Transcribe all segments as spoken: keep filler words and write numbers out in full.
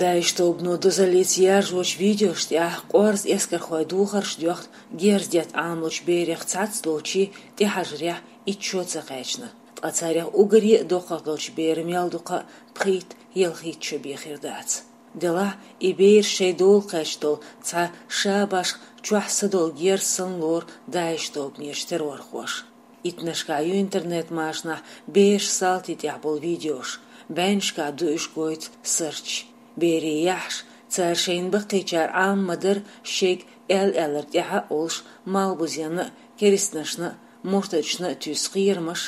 ДАИШ тобано дозаллица яржочу видеошна тӀехь къорза эскархойн духарш доьхна герз детта Ӏамалучу берех цхьацца долчийн тӀехьажарехь итт шо ца кхаьчна. Ткъа царех уггаре а доккхах долчу беран мел ду-кх пхийтта-ялхитта шо бен хир дац. Делахь и бераш шайн дола кхаьчна долу цхьа ша башха чохь са долу герз санна лору ДАИШ тобанерчу террорхоша. Иттаннашкахь ю интернет-машанахь бераш салтийн тӀехь болу видеош, бӀеннашкахь ду уьш гойту сарч. Берийн яххьаш, цара шайна баккхийчара Ӏама ма-дарра шайга аьлла-аьлларг тӀаьхьа а олуш, малхбузенна а, керстанашна а, муртадашна а туьйсу кхерамаш,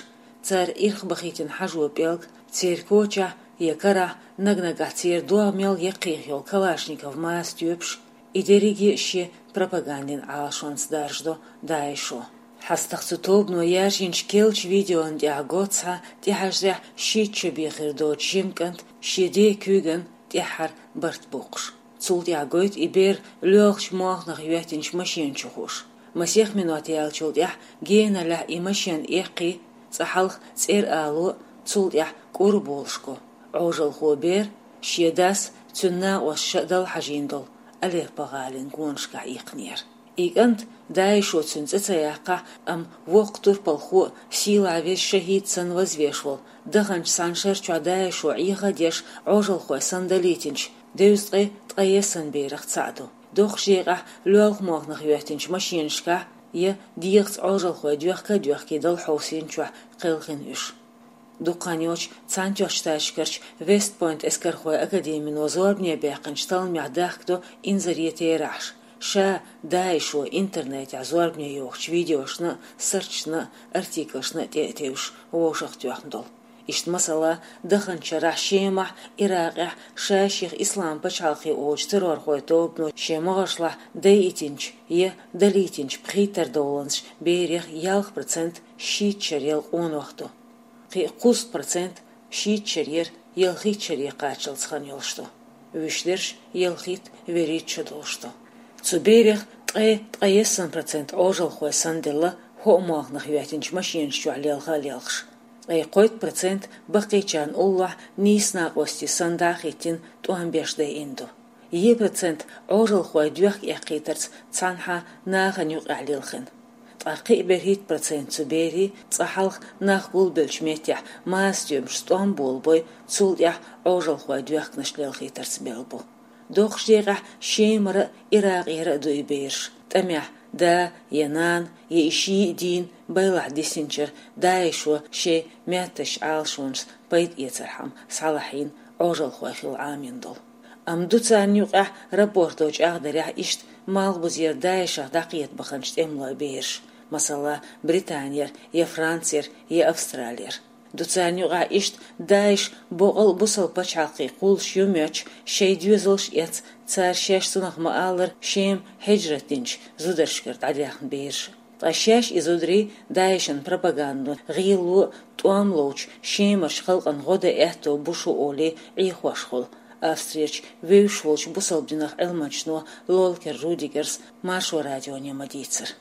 цара ирхбахийтина хьажо пӀелг, церан кочахь я карахь наг-нагахь церан догӀмел яккхийх йолу калашников маса тоьпаш, и дерриге а шен пропагандин Ӏалашонца даржадо ДАИШо. ХьастагӀа цу тобано яржийначу керлачу видеона тӀехь го цхьа тӀехьажарехь шийтта шо бен хир доцу жима кӀант шен ден куьйгана тӀаьххьара барт боккхуш. Цул тӀаьхьа гойту и бер лоьлхучу молханах йоьттинчу машена чу хууш. Масех минот яьллачул тӀаьхьа геналлехь и машена эккхий, цкъа хьалха цӀера ало, цул тӀаьхьа кӀур болуш го. Ӏожалхо бер шен дас, цуьнан накъосташа дала хьажийна долу Алеппо гӀалин гонашкахь иккхинера. И кӀант, ДАИШо цуьнан цӀе ца яккхахь, амма воккха турпалхо а, сийлахь веза шахӀид санна вазвеш волу, даханчу цхьана шарчохь ДАИШо Ӏеха а деш, Ӏожалхой санна далийтинчу, девза ткъе ткъе есан берех цхьаъ ду. Доккхачу декъехь лоьлху молханах йоьттинчу машенашкахь я дегӀаца Ӏожалхой доьхка а доьхкий дала хьовсийначохь кхелхина уьш. Дукха хан йоццуш Цхьаьнатоьхначу Штаташкарчу Вест-Пойнт эскархойн академино зорбане баьккхинчу талламехь дахкадо инзаре терахьаш, ша ДАИШо интернетехь зорбане йохучу видеошна а, сарчашна а, артиклашна а тӀе а тевжаш вовшахтоьхна долу. Иштта, масала, даханчу шарахь Шемахь, Иракъехь ша-шех Ислам пачхьалкхе олучу террорхойн тобано шен могӀаршлахь дайийтинчу я далийтинчу пхийттара доланзачу берех ялх процент шийтта шарел къонах ду. Кхин а кхузткъа процент шийтта шарера ялхитта шаре кхаччалц хан йолуш ду. Вуьшта дерш ялхитта, вуьрхӀитта шо долуш ду. Цу берех ткъе ткъе есан процент Ӏожалхой санна делла хӀоъ молханах йоьттинчу машенаш чохь лелха а лелхаш. Ткъе кхойтта процент баккхийчарна уллохь нийса накъостий санна дӀа а хӀиттина тӀом беш дайина ду. Е процент Ӏожалхой доьхка эккхийтарца цхьанхьа нахана юкъахь лилхина. Ткъа кхин а берхӀитта процент цу берийн цкъа хьалха нах гулбеллачу меттехь маса тоьмашца тӀом болабой, цул тӀаьхьа Ӏожалхой доьхканаш лелхийтарца мел бу. Доккхачу декъехь Шемара а, Иракъера а ду и бераш, тӀамехь да я нана, я и шиъ а дийна, байлахь дисинчара ДАИШо шен меттазчу Ӏалашонашца пайда эцархьама схьалахьийна Ӏожалхой хила Ӏамийна долу. Амма ду царна юкъахь рапорто чӀагӀдарехь иштта малхбузера ДАИШах дӀакхета баханчу тӀемалойн бераш, масала, Британера, я Францера, я Австралера. Ду царна юкъахь иштта ДАИШ боккъал а бусалба пачхьалкхе кхуллуш ю моьттуш, шайн доьзалш а эцна, цара шаьш цунах ма-аллара Шема хьижрат динчу зударшкара дӀадаьхна бераш. Ткъа шаьш и зударий ДАИШан пропагандо, гӀело а, тӀом ловчу Шемарчу халкъана гӀо дан аьтто бу шу олий Ӏехош хуьлу Австрерчу вевзаш волчу бусалба динах Ӏилманчо Лолкер Рудигерс Маршо радионе ма-дийццара.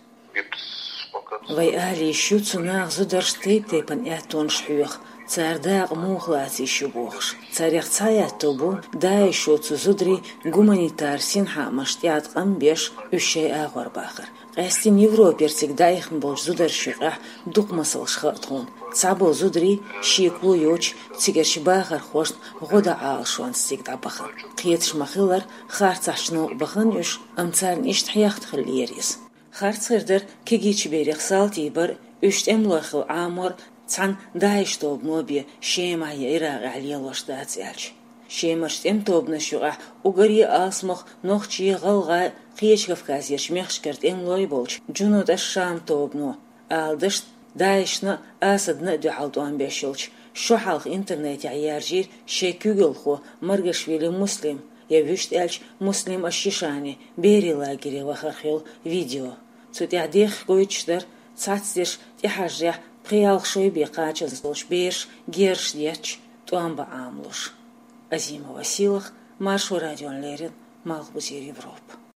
Вай ала йиш ю цу наха зударшна тайп-тайпана аьттонаш хьоьху, цара дакъа муха лаца йиш ю бохуш. Царех цхьа аьтто бу ДАИШо цу зударийн гуманитар синхаамашна тӀеӀаткъам беш, уьш шайн агӀор бахар. Къаьсттина Европера цига дӀаихна болчу зударшна юкъахь дукха масалш хаьа тхуна. Цхьаболу зударий шеко йоцуш цигарчу бахархошна гӀо дан Ӏалашонца цига дӀабахана. Кхеташ ма-хиллара, харцахьчу новкъа бахана уьш, амма царна иштта хьехат хиллера иза. Харц хир дара кегийчу берех салтий бар а, уьш тӀемалой хила Ӏамор а, цхьана ДАИШ тобано бен Шемахь я Иракъехь лелош дац аьлча. Шемарчу тӀеман тобанашна юкъахь уггаре а алсамох нохчий, гӀалгӀай, кхечу Кавказерчу мехкашкара тӀемалой болчу Джунуд аш-Шам тобано, ала дашна, ДАИШна а, Асадна а дуьхьал тӀом беш йолчу, шо хьалха интернетехь яржийра шайн куьйгалхо Маргашвили Муслим, я вуьшта аьлча Муслим аш-Шишани берийн лагере вахарх йолу видео. Цу тӀехь дехха гойтуш дара цхьацдерш тӀехьажарехь пхи-ялх шо бен кхаччалц долчу бераша герзаш детташ тӀом бан Ӏамалош. Азимова Сийлаха, Маршо радиона леррина, Малхбузера Европа.